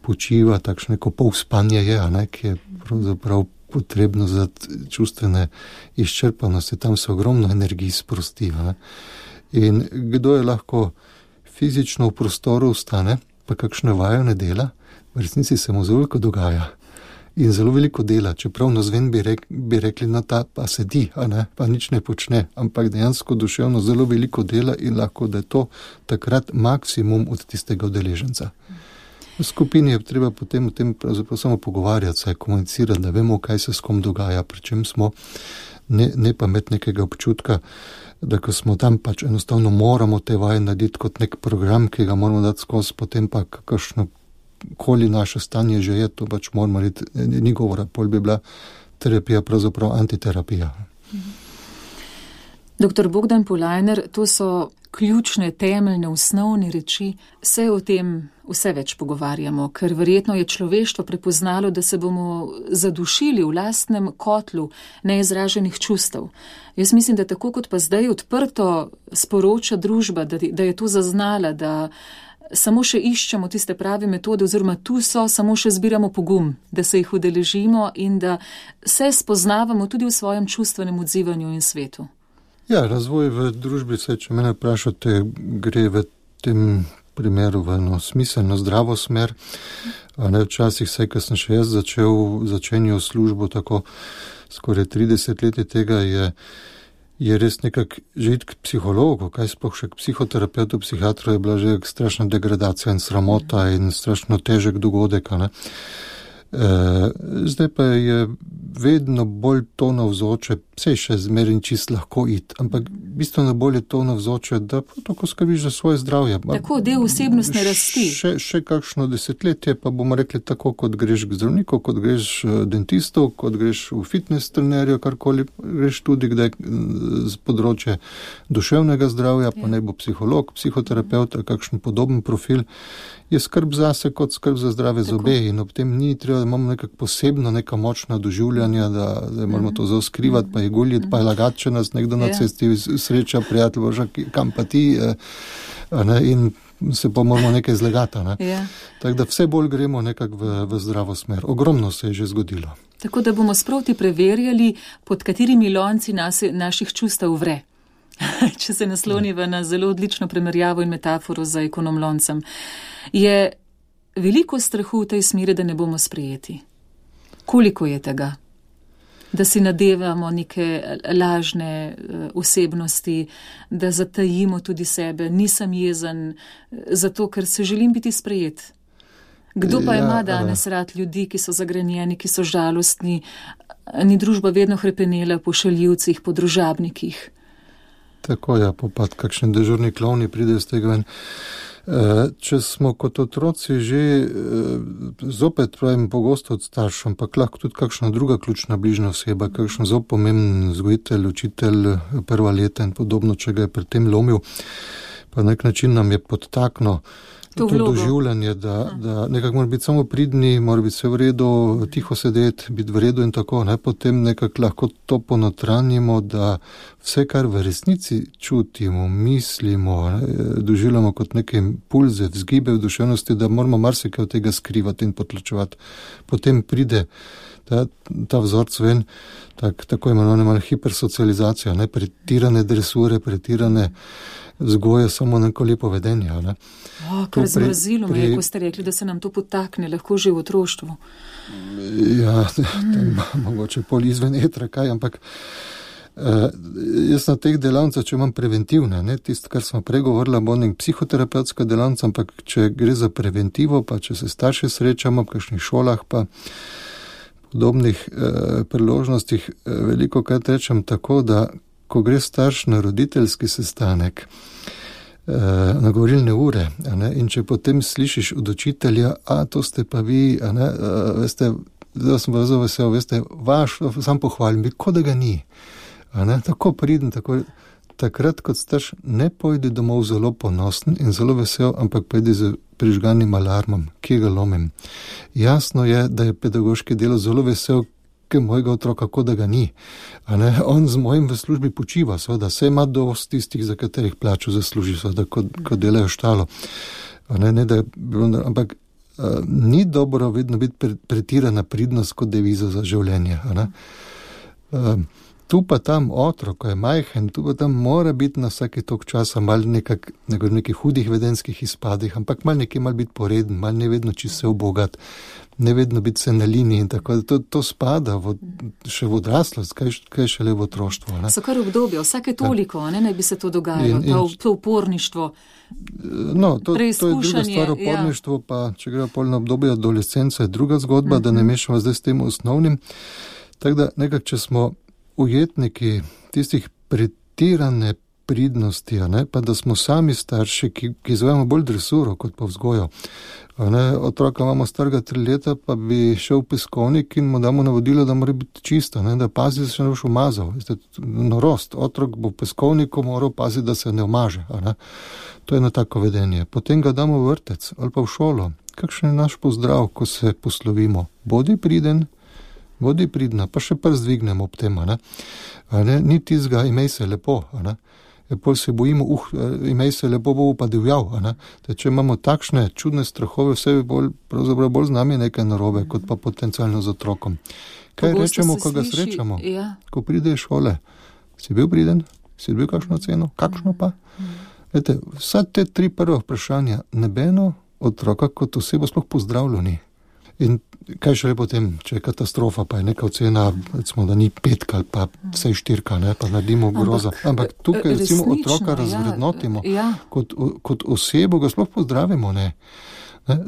počiva, takšne ko pol spanje je, ki je pravzaprav potrebno za čustvene izčrpanosti, tam se ogromno energij sprosti. In kdo je lahko fizično v prostoru ostane, pa kakšne vajo ne dela, v resnici se mu zelo veliko dogaja. In zelo veliko dela, čeprav nazven bi rekli, no ta pa sedi, pa nič ne počne, ampak dejansko duševno zelo veliko dela in lahko, da je to takrat maksimum od tistega udeleženca. V skupini je treba potem o tem pravzaprav samo pogovarjati, saj komunicirati, da vemo, kaj se s kom dogaja, pri čem smo, ne pa imeti nekega občutka, da ko smo tam pač enostavno moramo te vaje narediti kot nek program, ki ga moramo dati skozi, potem pa kakšno koli naše stanje že je, to pač moramo reči, ni govora, pol bi bila terapija pravzaprav antiterapija. Dr. Bogdan Polajner, to so ključne, temeljne, osnovne reči. Se o tem vse več pogovarjamo, ker verjetno je človeštvo prepoznalo, da se bomo zadušili v lastnem kotlu neizraženih čustev. Jaz mislim, da tako kot pa zdaj odprto sporoča družba, da je to zaznala, da samo še iščemo tiste prave metode, oziroma tu so, samo še zbiramo pogum, da se jih udeležimo in da se spoznavamo tudi v svojem čustvenem odzivanju in svetu. Ja, razvoj v družbi, če mene vprašate, gre v tem primeru v eno smiselno, zdravo smer. Včasih se, ko sem še jaz začenjal službo, tako skoraj 30 let tega je res nekak že iti k psihologu, kaj sploh še k psihoterapeutu, psihiatru je bila že strašna degradacija in sramota in strašno težek dogodek. Zdaj pa je vedno bolj to navzoče, vse še zmeraj čist lahko iti, ampak bistveno bolj je to navzoče, da tako skrbiš za svoje zdravje. Tako, del osebnostne rasti. Še kakšno desetletje, pa bomo rekli tako, kot greš k zdravniku, kot greš dentistu, kot greš v fitness trenerju, karkoli, greš tudi kdaj z področje duševnega zdravja, pa naj bo psiholog, psihoterapeut, kakšen podoben profil, je skrb zase kot skrb za zdrave zobe in ob tem ni treba, da imamo nekak posebno neka močna doživljanja, da moramo to zaoskrivati, pa je guljiti, pa je lagati, če nas nekdo na cesti sreča, prijatelj, boža, kam pa ti, in se pa moramo nekaj zlegati. Tako da vse bolj gremo nekak v zdravo smer. Ogromno se je že zgodilo. Tako da bomo sproti preverjali, pod katerimi lonci naših čustev vre. Če se nasloniva na zelo odlično primerjavo in metaforo za ekonomloncem. Je veliko strahu v tej smeri, da ne bomo sprejeti. Koliko je tega? Da si nadevamo neke lažne osebnosti, da zatajimo tudi sebe, nisem jezen, zato ker se želim biti sprejet. Kdo pa ima danes rad ljudi, ki so zagrenjeni, ki so žalostni, ni družba vedno hrepenela po šaljivcih, po družabnikih? Tako je, popad, kakšni dežurni klovni pridejo z tega ven. Če smo kot otroci že zopet pravim pogosto od staršev, ampak lahko tudi kakšna druga ključna bližnja oseba, kakšen zelo pomemben vzgojitelj, učitelj, prva leta in podobno, če ga je pri tem lomil, pa na nek način nam je podtaknilo to doživljanje, da nekako mora biti samo pridni, mora biti vse v redu, tiho sedeti, biti v redu in tako, potem nekako lahko to ponotranjimo, da vse, kar v resnici čutimo, mislimo, doživljamo kot neke impulze, vzgibe v duševnosti, da moramo marsikaj od tega skrivati in potlačevati. Potem pride ta vzorc ven, tako imenovana hipersocializacija, pretirane dresure, pretirane vzgoje, samo neko lepo vedenje. Kar zmrazilo me je, ko ste rekli, da se nam to potakne, lahko že v otroštvu. Ja, mogoče pol izven etra, kaj, ampak jaz na teh delavnicah, če imam preventivne, tisto, kar smo pregovorila, bo nek psihoterapevtska delavnica, ampak če gre za preventivo, pa če se starši srečamo v kakšnih šolah, pa podobnih priložnostih, veliko krat rečem tako, da ko gre starš na roditeljski sestanek, na govorilne ure, in če potem slišiš od učitelja, to ste pa vi, veste, da sem pa zelo vesel, veste, vaš, sam pohvalim, kot da ga ni. Tako priden, tako takrat kot starš ne pojdi domov zelo ponosen in zelo vesel, ampak pojdi z prižganim alarmom, ki ga lomim. Jasno je, da je pedagoški delo zelo vesel, ker mojega otroka, kot da ga ni. On z mojim v službi počiva, seveda, se ima dost tistih, za katerih plačo zasluži, seveda, kot delajo štalo. Ampak ni dobro vedno biti pretirana pridnost kot deviza za življenje. Tu pa tam otrok, ko je majhen, tu pa tam mora biti na vsaki tok časa mal nekih hudih vedenskih izpadih, ampak mal biti poreden, mal ne vedno čisto se obogat, ne vedno biti se na liniji in tako, to spada še v odraslost, kaj šele v otroštvo. So kar obdobje, vsake toliko, naj bi se to dogajalo, to uporništvo. No, to je druga stvar, uporništvo, pa če gre pol na obdobje adolescence, je druga zgodba, da ne mešamo zdaj s tem osnovnim. Tako da nekako, če smo ujetniki tistih pretirane pridnosti, pa da smo sami starši, ki izvajamo bolj dresuro kot pa vzgojo. Otroka imamo starega 3 leta, pa bi šel v peskovnik in mu damo navodilo, da mora biti čisto, da pazi, da se ne boš umazal. Norost, otrok bo v peskovniku moral paziti, da se ne umaže. To je eno tako vedenje. Potem ga damo v vrtec ali pa v šolo. Kakšen je naš pozdrav, ko se poslovimo? Bodi pridna, pa še prst dvignemo ob tem, ni tizga, imej se lepo, pol se bojimo, imej se lepo, bo pa divjal, če imamo takšne čudne strahove, vse pravzaprav bolj z nami nekaj narobe, kot pa potencialno z otrokom. Kaj rečemo, ko ga srečamo? Ko pride iz šole, si bil priden? Si bil kakšno ceno? Kakšno pa? Vsa te 3 prva vprašanja, nebeno otroka kot osebo sploh pozdravljo ni. In kaj šele potem, če je katastrofa, pa je neka ocena, recimo, da ni 5 ali pa vsaj 4, pa naredimo grozo. Ampak tukaj recimo otroka razvrednotimo. Kot osebo ga sploh pozdravimo,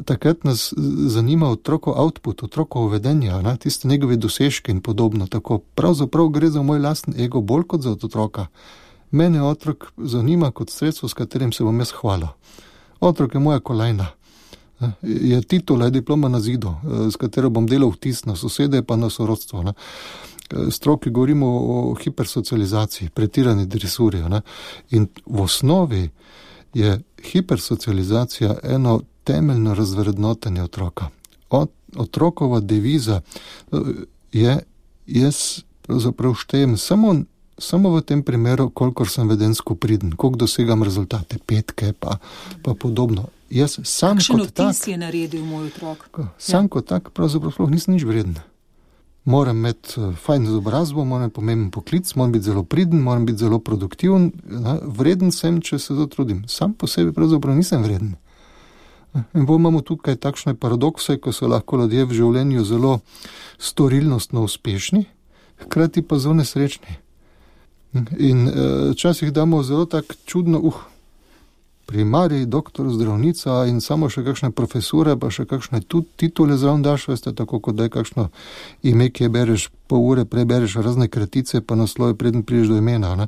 Takrat nas zanima otrokov output, otrokov vedenja, tiste njegove dosežke in podobno. Tako pravzaprav gre za moj lasten ego bolj kot za otroka. Mene otrok zanima kot sredstvo, s katerim se bom jaz hvalil. Otrok je moja kolajna. Je titula, je diploma na zidu, s katero bom delal vtis na sosede pa na sorodstvo. Stroki govorimo o hipersocializaciji, pretirani dresuri. In v osnovi je hipersocializacija eno temeljno razvrednotenje otroka. Otrokova deviza je, jaz pravzaprav štejem samo v tem primeru, kolikor sem vedensko priden, koliko dosegam rezultate, 5 pa podobno. Jaz sam kakšen kot tak, je naredil moj otrok? Sam kot tak pravzaprav nisem nič vreden. Moram imeti fajn izobrazbo, moram imeti pomemben poklic, moram biti zelo priden, moram biti zelo produktiven. Vreden sem, če se zatrudim. Sam po sebi pravzaprav nisem vreden. In bolj imamo tukaj takšne paradokse, ko so lahko ljudje v življenju zelo storilnostno uspešni, hkrati pa zelo nesrečni. In včasih damo zelo tak čudno, primarij, doktor, zdravnica in samo še kakšne profesure, pa še kakšne titule zraven daš, veste, tako kot da je kakšno ime, ki je bereš pol ure, prebereš razne kratice, pa naslove, preden prideš do imena.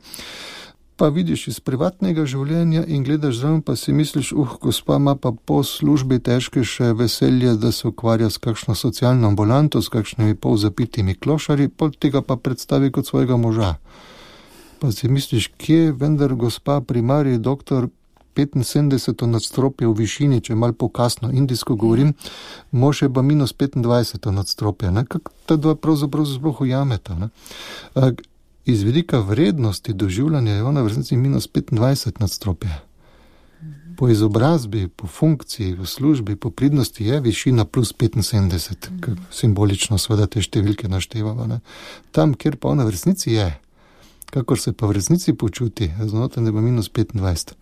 Pa vidiš iz privatnega življenja in gledaš zraven, pa si misliš, gospa ima pa po službi težke še veselje, da se ukvarja s kakšno socialno ambulanto, s kakšnimi polzapitimi klošarji, pol tega pa predstavi kot svojega moža. Pa si misliš, kje vendar gospa primarij, doktor, 75 nadstropje v višini, če malo pokasno indijsko govorim, mož je pa minus 25 nadstropje. Kako ta dva pravzaprav sploh ujameta? Iz vidika vrednosti doživljanja je ona v resnici minus 25 nadstropje. Po izobrazbi, po funkciji, v službi, po pridnosti je višina plus 75, simbolično seveda te številke naštevava. Tam, kjer pa ona v resnici je, kakor se pa v resnici počuti, znotraj je pa minus 25.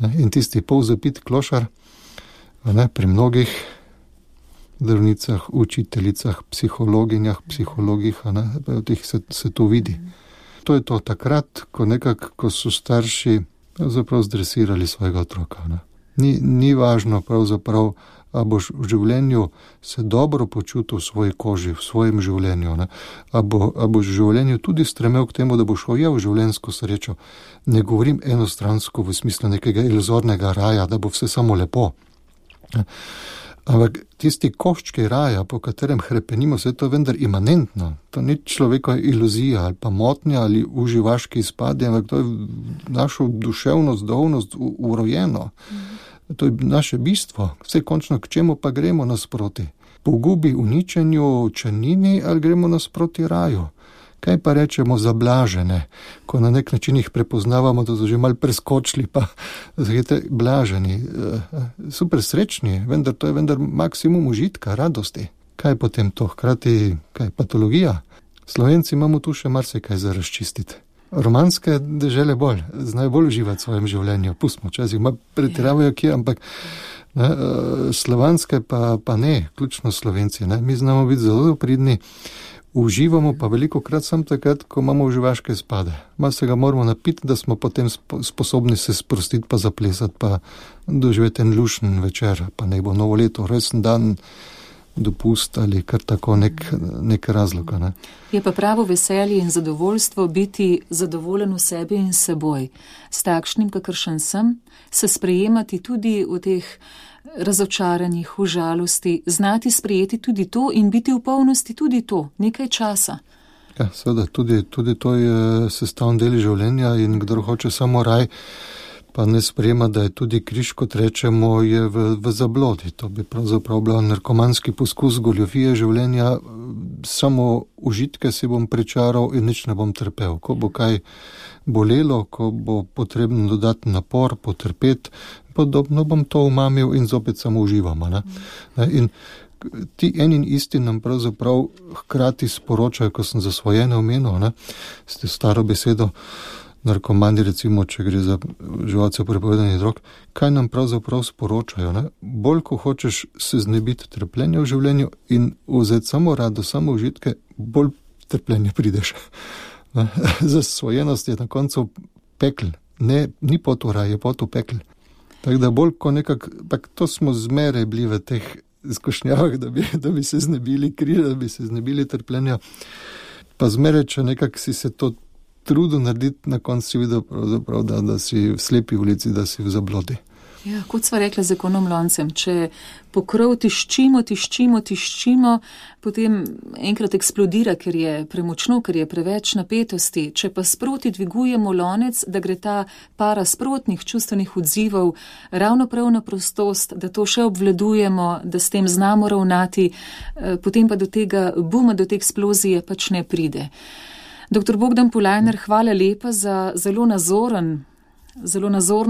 In tisti polzapit klošar, pri mnogih zdravnicah, učiteljicah, psihologinjah, psihologih, v teh se to vidi. To je to takrat, ko so starši pravzaprav zdresirali svojega otroka. Ni važno pravzaprav, a boš v življenju se dobro počutil v svoji koži, v svojem življenju, a boš v življenju tudi stremel k temu, da boš ujel življenjsko srečo. Ne govorim enostransko v smislu nekega iluzornega raja, da bo vse samo lepo. Ampak tisti koščki raja, po katerem hrepenimo, se to vendar imanentno. To ni človekova iluzija ali pa motnja ali uživaški izpadi, ampak to je našo duševnost, duhovnost urojeno. To je naše bistvo. Vse končno, k čemu pa gremo nasproti? Pogubi, uničenju, črnini ali gremo nasproti raju? Kaj pa rečemo za blažene, ko na nek način jih prepoznavamo, da so že malo preskočili, pa zahite blaženi, super srečni, vendar to je vendar maksimum užitka, radosti. Kaj je potem to? Hkrati, kaj je patologija? Slovenci imamo tu še marsikaj za razčistiti. Romanske dežele bolj, znajo bolj uživati v svojem življenju. Pustimo, včasih pretiravajo kje, ampak slovanske pa ne, ključno Slovenci. Ne? Mi znamo biti zelo pridni, uživamo pa veliko krat sam takrat, ko imamo uživaške spade. Malo se ga moramo napiti, da smo potem sposobni se sprostiti pa zaplesati, pa doživeti en lušen večer, pa ne bo novo leto, resen dan, dopust ali kar tako nek razlog. Ne? Je pa pravo veselje in zadovoljstvo biti zadovoljen v sebi in seboj. S takšnim, kakršen sem, se sprejemati tudi v teh razočaranjih, v žalosti, znati sprejeti tudi to in biti v polnosti tudi to, nekaj časa. Ja, seveda, tudi to je sestavni del življenja in kdor hoče samo raj, pa ne sprejema, da je tudi križ, kot rečemo, je v zablodi. To bi pravzaprav bil narkomanski poskus goljofije življenja, samo užitke si bom pričaral in nič ne bom trpel. Ko bo kaj bolelo, ko bo potrebno dodati napor, potrpeti, podobno bom to umamil in zopet samo uživamo. Ne? In ti en in isti nam pravzaprav hkrati sporočajo, ko sem zasvojene omenil, ste staro besedo, narkomani, recimo, če gre za živalce prepovedanih drog, kaj nam pravzaprav sporočajo? Ne? Bolj, ko hočeš se znebiti trpljenja v življenju in vzeti samo rado, samo užitke, bolj trpljenje prideš. Zasvojenost je na koncu pekel. Ni pot v raj, je pot v pekel. Tako da bolj, ko to smo zmeraj bili v teh izkušnjavah, da bi se znebili križa, da bi se znebili trpljenja, pa zmeraj, če nekako si se to trudu narediti, na koncu si videl pravzaprav, da si v slepi ulici, da si v zablodi. Ja, kot sva rekla z ekonom loncem, če pokrov tiščimo, potem enkrat eksplodira, ker je premočno, ker je preveč napetosti. Če pa sproti dvigujemo lonec, da gre ta para sprotnih čustvenih odzivov ravno prav na prostost, da to še obvladujemo, da s tem znamo ravnati, potem pa do tega buma, do te eksplozije pač ne pride. Dr. Bogdan Polajner, hvala lepa za zelo nazorno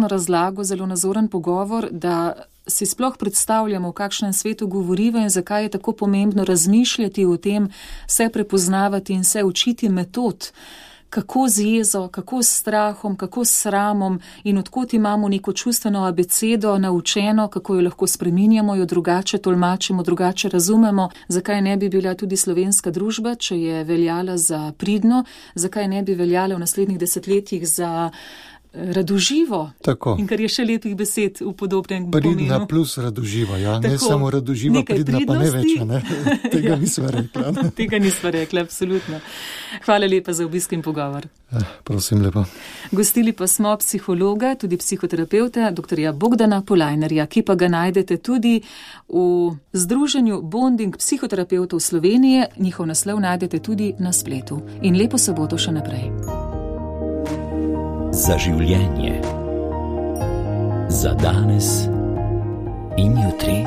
razlago, zelo nazoren pogovor, da si sploh predstavljamo, v kakšnem svetu govoriva in zakaj je tako pomembno razmišljati o tem, se prepoznavati in se učiti metod, kako z jezo, kako s strahom, kako s sramom in odkot imamo neko čustveno abecedo naučeno, kako jo lahko spreminjamo, jo drugače tolmačimo, drugače razumemo, zakaj ne bi bila tudi slovenska družba, če je veljala za pridno, zakaj ne bi veljala v naslednjih desetletjih za radoživo. Tako. In kar je še lepih besed v podobnem pomenu. Pridna plus radoživa, ja. Ne samo radoživa, pridna pa ne več, ne? Tega nisva rekla. Tega nisva rekla, absolutno. Hvala lepa za obisk in pogovor. Prosim lepo. Gostili pa smo psihologa, tudi psihoterapeuta, dr. Bogdana Polajnerja, ki pa ga najdete tudi v Združenju Bonding psihoterapeutov Slovenije. Njihov naslov najdete tudi na spletu. In lepo soboto še naprej. Za življenje, za danes in jutri.